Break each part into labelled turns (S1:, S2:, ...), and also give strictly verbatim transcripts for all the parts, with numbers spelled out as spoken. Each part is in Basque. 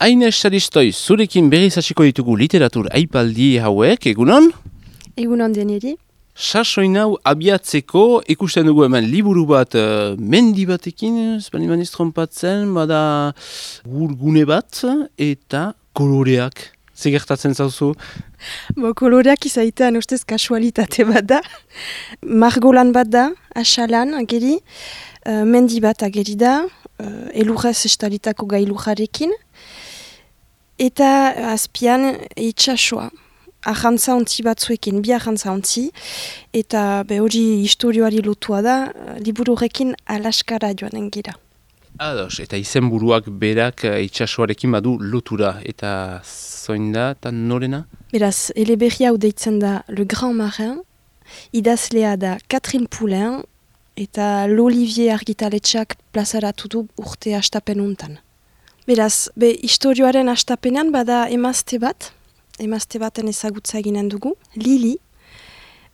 S1: Aines Saristoi, zurekin berriz hasiko ditugu literatur aipaldi hauek, egunon?
S2: Egunon deneri.
S1: Sasoin hau abiatzeko, ikusten dugu hemen liburu bat uh, mendi batekin, espaniman iztrompatzen, bada gurgune bat, eta koloreak. Zegertatzen zauzu?
S2: Bo, koloreak izaitean ustez kasualitate bat da. Margolan bat da, asalan ageri, uh, mendi bat ageri da, uh, elurrez estalitako gailujarekin, eta azpian itxasoa. Arrantza ontzi batzuekin, bi arrantza ontzi, eta be hori historioari lotua da, liburu horrekin Alaskara joanen gira.
S1: Ados, eta izenburuak berak itxasoarekin badu lotura, eta zoin da, eta norena?
S2: Beraz, eleberri hau deitzen da Le Grand Marin, idazlea da Catherine Poulain, eta l'Olivier argitaletxeak plazaratu du urte hastapen untan. Beraz, be historioaren hastapenean bada emazte bat, emazte baten ezagutza eginen dugu, Lili.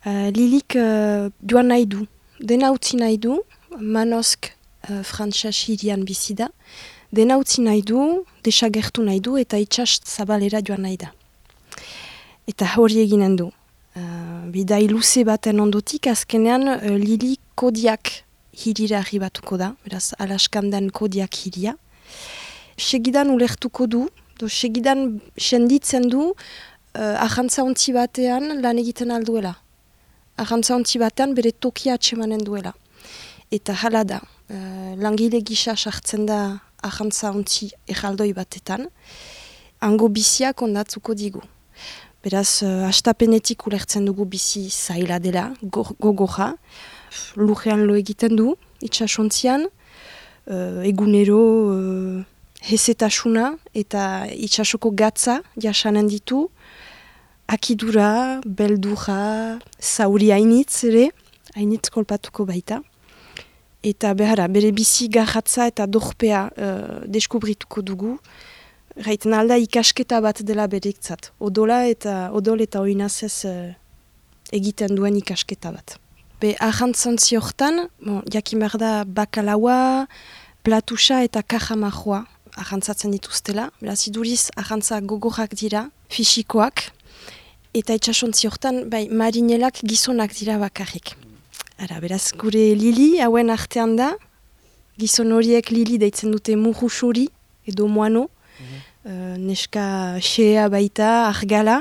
S2: Uh, Lilik uh, joan nahi du, dena utzi nahi du, Manosk uh, frantses hirian bizi da, dena utzi nahi du, desagertu nahi du, eta itsas zabalera joan nahi da. Eta hori eginen du. Uh, bidai luze baten ondotik, azkenean uh, Lili Kodiak hirira arribatuko da, beraz Alaskan den Kodiak hiria. Segidan ulertuko du, do segidan senditzen du uh, ahantza ontzi batean lan egiten alduela. Ahantza ontzi batean bere tokia atsemanen duela. Eta hala da, uh, langile gisa sartzen da ahantza ontzi erraldoi batetan, hango biziak ondatzuko digu. Beraz, uh, hastapenetik ulertzen dugu bizi zaila dela, gogoja, lujean lo egiten du, itxasontzian, uh, egunero uh, hezetasuna eta itsasoko gatza jasanen ditu, akidura, beldura, zauri hainitz ere, hainitz kolpatuko baita. Eta behara, bere bizi garratza eta dorpea uh, deskubrituko dugu, gaiten alda ikasketa bat dela berektzat. Odola eta odol eta oinazez uh, egiten duen ikasketa bat. Be ahantzantzi hortan, bon, jakin behar da bakalaua, platusa eta kajamajoa ahantzatzen dituztela. Beraz, iduriz ahantza gogorrak dira, fisikoak, eta itxasontzi hortan, bai, marinelak gizonak dira bakarrik. Ara, beraz, gure Lili, hauen artean da, gizon horiek Lili deitzen dute murusuri, edo moano, mm-hmm. uh, neska xea baita, argala,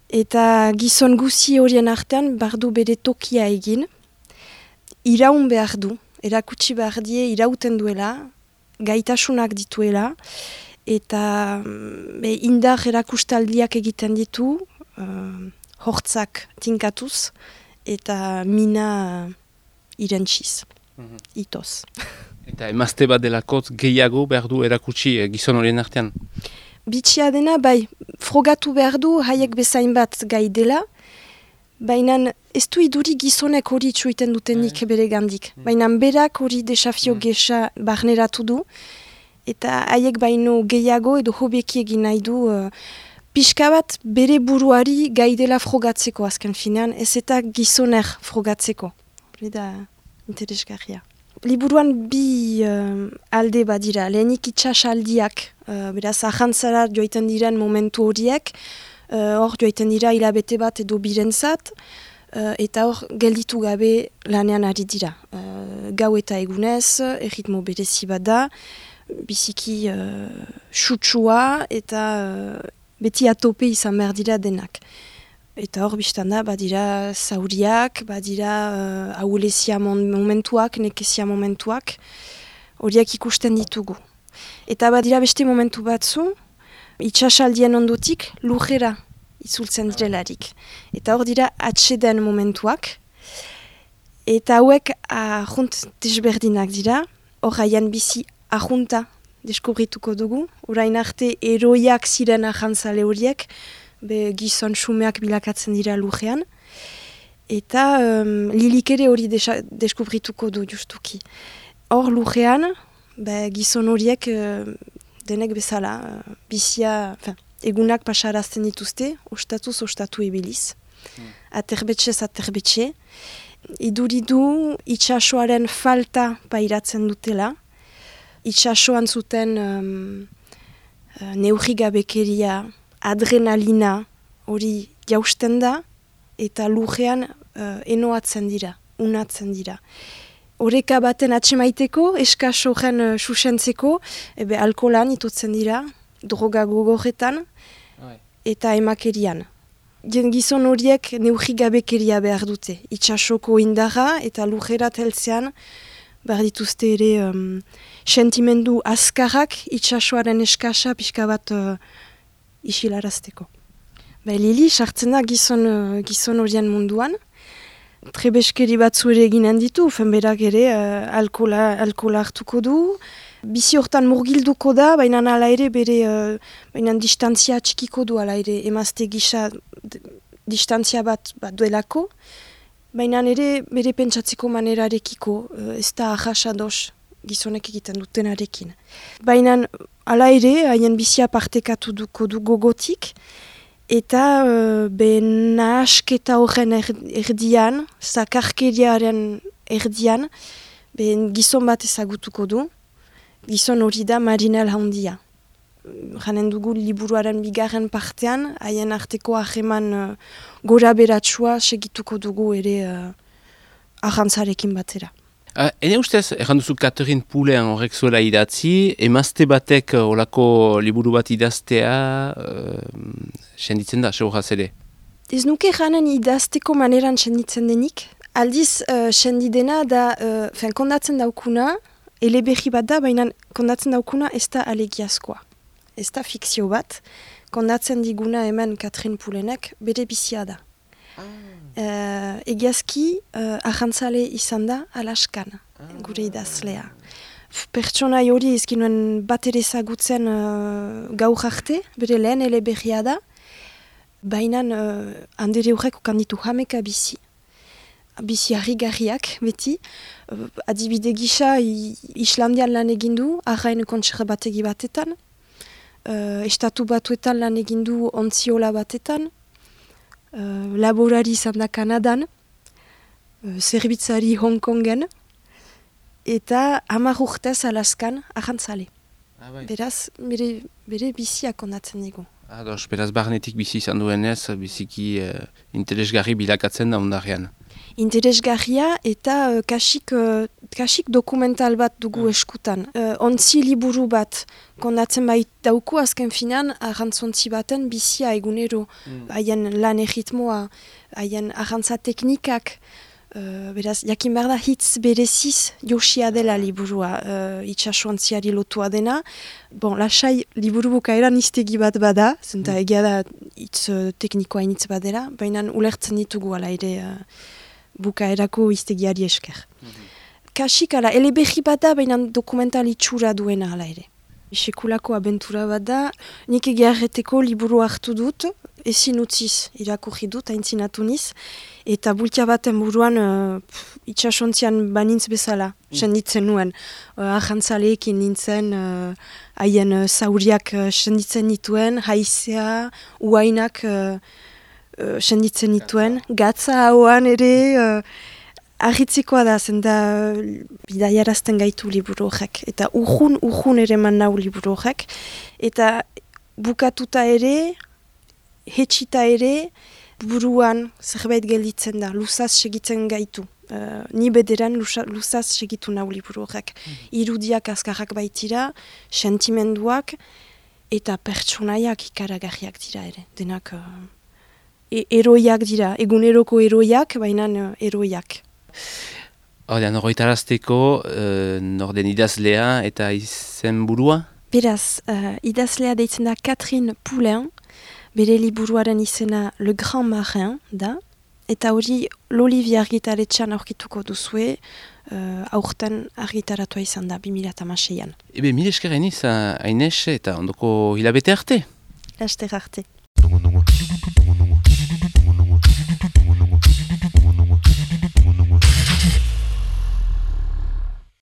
S2: eta gizon guzi horien artean, bardu bere tokia egin, iraun behar du, erakutsi behar die irauten duela, gaitasunak dituela, eta be, indar erakustaldiak egiten ditu, uh, hortzak tinkatuz, eta mina uh, irentsiz, mm-hmm. itoz.
S1: Eta emazte bat delakot gehiago behar du erakutsi eh, gizon horien artean?
S2: Bitxia dena, bai, frogatu behar du haiek bezain bat gai dela, baina ez du iduri gizonek hori txuiten dutenik bere gandik. Baina berak hori desafio gesa barneratu du, eta haiek baino gehiago edo hobeki egin nahi du uh, pixka bat bere buruari gai dela frogatzeko azken finean, ez eta gizoner frogatzeko. Hori da interesgarria. Liburuan bi uh, alde badira, lehenik itxas aldiak, uh, beraz ahantzara joiten diren momentu horiek, hor uh, joiten dira hilabete bat edo birentzat, uh, eta hor gelditu gabe lanean ari dira. Uh, gau eta egunez, erritmo berezi bat da, biziki uh, sutsua eta uh, beti atope izan behar dira denak. Eta hor biztan da, badira zauriak, badira uh, ahulezia momentuak, nekezia momentuak, horiek ikusten ditugu. Eta badira beste momentu batzu, itxasaldien ondotik lujera itzultzen direlarik. Eta hor dira atseden momentuak. Eta hauek ahunt desberdinak dira. Hor haien bizi ahunta deskubrituko dugu. Orain arte eroiak ziren ahantzale horiek, be gizon xumeak bilakatzen dira lujean. Eta um, Lilik ere hori deskubrituko du justuki. Hor lujean, be gizon horiek uh, denek bezala, bizia, fin, egunak pasarazten dituzte, ostatuz ostatu ebiliz, hmm. aterbetxez aterbetxe. Iduridu itxasoaren falta pairatzen dutela, itxasoan zuten um, uh, neurrigabekeria, adrenalina, hori jausten da, eta lurrean uh, enoatzen dira, unatzen dira. Horeka baten atxemaiteko, eskas horren uh, susentzeko, ebe alkoholan itutzen dira, droga gogorretan, eta emakerian. Gizon horiek neurrigabekeria behar dute, itxasoko indarra eta lurrerat heltzean, behar dituzte ere um, sentimendu azkarrak itxasoaren eskasa pixka bat uh, isilarazteko. Ba, Lili, sartzen da gizon, uh, gizon horien munduan, trebeskeri batzu ere eginen ditu, fenberak ere uh, alkola, alkola hartuko du, bizi hortan murgilduko da, baina ala ere bere uh, baina distantzia txikiko du ala ere emazte gisa distantzia bat, bat duelako, baina ere bere pentsatzeko manerarekiko, uh, ez da ahasados gizonek egiten dutenarekin. Baina ala ere, haien bizia partekatu duko du gogotik, eta uh, be nahasketa horren erdian, zakarkeriaren erdian, be gizon bat ezagutuko du, gizon hori da Marinel handia. Janen dugu liburuaren bigarren partean, haien arteko aheman uh, gora beratsua segituko dugu ere uh, ahantzarekin batera.
S1: Uh, ene ustez, erran duzu Catherine Poulen horrek zuela idatzi, emazte batek olako liburu bat idaztea, uh, senditzen da, seuraz ere?
S2: Ez nuke janen idazteko maneran senditzen denik. Aldiz, uh, sendidena da, uh, fen, kondatzen daukuna, eleberri bat da, baina kondatzen daukuna ez da alegiazkoa. Ez da fikzio bat, kondatzen diguna hemen Catherine Poulenek bere bizia da. Uh, egiazki, uh, ahantzale izan da Alaskan, gure idazlea. Pertsona hori ezkinuen bat ere zagutzen uh, gaur arte, bere lehen eleberria da, baina uh, handere horrek ukanditu hameka bizi. Bizi harrigarriak, beti. Uh, adibide gisa, Islandian lan egindu, arrain kontserbategi batetan, uh, estatu batuetan lan egindu ontziola batetan, Uh, laborari izan da Kanadan, uh, zerbitzari Hong Kongen, eta hamar urtez Alaskan ahantzale.
S1: Ah, bai.
S2: Beraz, bere, bere biziak ondatzen digu.
S1: Ados, beraz barnetik bizi izan duenez, biziki uh, interesgarri bilakatzen da ondarean.
S2: Interesgarria eta uh, kasik, uh, kasik dokumental bat dugu eskutan. Uh, ontzi liburu bat kondatzen bait dauku azken finan, arrantzontzi baten bizia egunero, haien mm. lan erritmoa, haien arrantza teknikak, uh, beraz, jakin behar da hitz bereziz josia dela liburua, uh, itxasuantziari lotua dena. Bon, lasai liburu bukaeran iztegi bat bada, zenta mm. egia da hitz uh, teknikoa initz badera, baina ulertzen ditugu ala ere uh, bukaerako iztegiari esker. Mm-hmm. Kasik ala, eleberri bat da, baina dokumental itxura duena ala ere. Sekulako abentura bat da, nik egiarreteko liburu hartu dut, ezin utziz irakurri dut, haintzinatu niz, eta bultia baten buruan uh, itxasontzian banintz bezala, mm. senditzen nuen. Uh, ahantzaleekin nintzen, haien uh, uh, zauriak uh, senditzen nituen, haizea, uainak uh, uh, senditzen nituen, gatza hauan ere, uh, Argitzikoa da, zen da bidaiarazten gaitu liburu horrek. Eta urjun, urjun ere man nau liburu horrek. Eta bukatuta ere, hetxita ere, buruan zerbait gelditzen da, luzaz segitzen gaitu. Uh, ni bederan luzaz segitu nau liburu horrek. Mm-hmm. Irudiak azkarrak baitira, sentimenduak, eta pertsonaiak ikaragarriak dira ere. Denak uh, e eroiak dira, eguneroko eroiak, baina uh, eroiak.
S1: Hordean, horretarazteko, uh, norden idazlea eta izen burua?
S2: Beraz, uh, idazlea deitzen da Catherine Poulen, bere liburuaren izena Le Grand Marin da, eta hori l'Olivier argitaletxean aurkituko duzue, uh, aurten argitaratua izan da, bi mila hamaseian.
S1: Ebe, mil esker hainiz, Aines, eta ondoko hilabete arte?
S2: Laster arte.